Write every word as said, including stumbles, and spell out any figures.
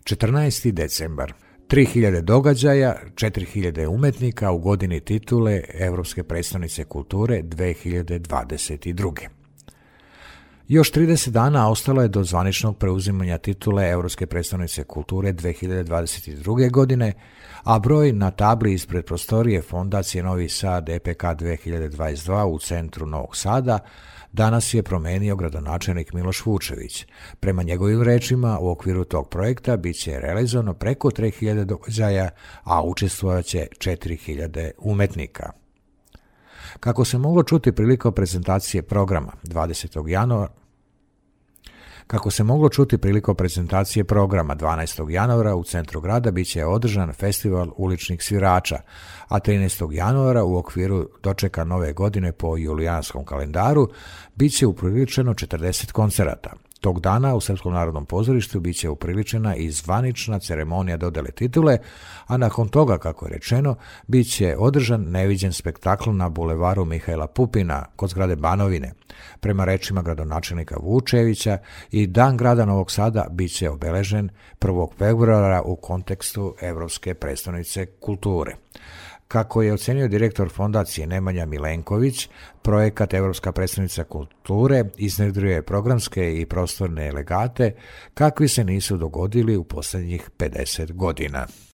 četrnaesti decembar. tri hiljade događaja, četiri hiljade umetnika u godini titule Evropske predstavnice kulture dve hiljade dvadeset druge. Još trideset dana ostalo je do zvaničnog preuzimanja titule Evropske predstavnice kulture dve hiljade dvadeset druge. godine, a broj na tabli ispred prostorije Fondacije Novi Sad E P K dve hiljade dvadeset dva u centru Novog Sada danas je promenio gradonačelnik Miloš Vučević. Prema njegovim rečima, u okviru tog projekta bit će realizovano preko tri hiljade događaja, a učestvovaće četiri hiljade umetnika. Kako se moglo čuti prilikom prezentacije programa dvadesetog januara, Kako se moglo čuti prilikom prezentacije programa dvanaestog januara u centru grada biće održan festival uličnih svirača, a trinaestog januara u okviru dočeka nove godine po julijanskom kalendaru biće upriličeno četrdeset koncerata. Tog dana u Srpskom narodnom pozorištu biće upriličena i zvanična ceremonija dodele titule, a nakon toga, kako je rečeno, biće održan neviđen spektakl na bulevaru Mihajla Pupina kod zgrade Banovine. Prema rečima gradonačelnika Vučevića, i Dan grada Novog Sada biće obeležen prvog februara u kontekstu Evropske predstavnice kulture. Kako je ocenio direktor fondacije Nemanja Milenković, projekat Evropska predstavnica kulture iznjedruje programske i prostorne legate kakvi se nisu dogodili u posljednjih pedeset godina.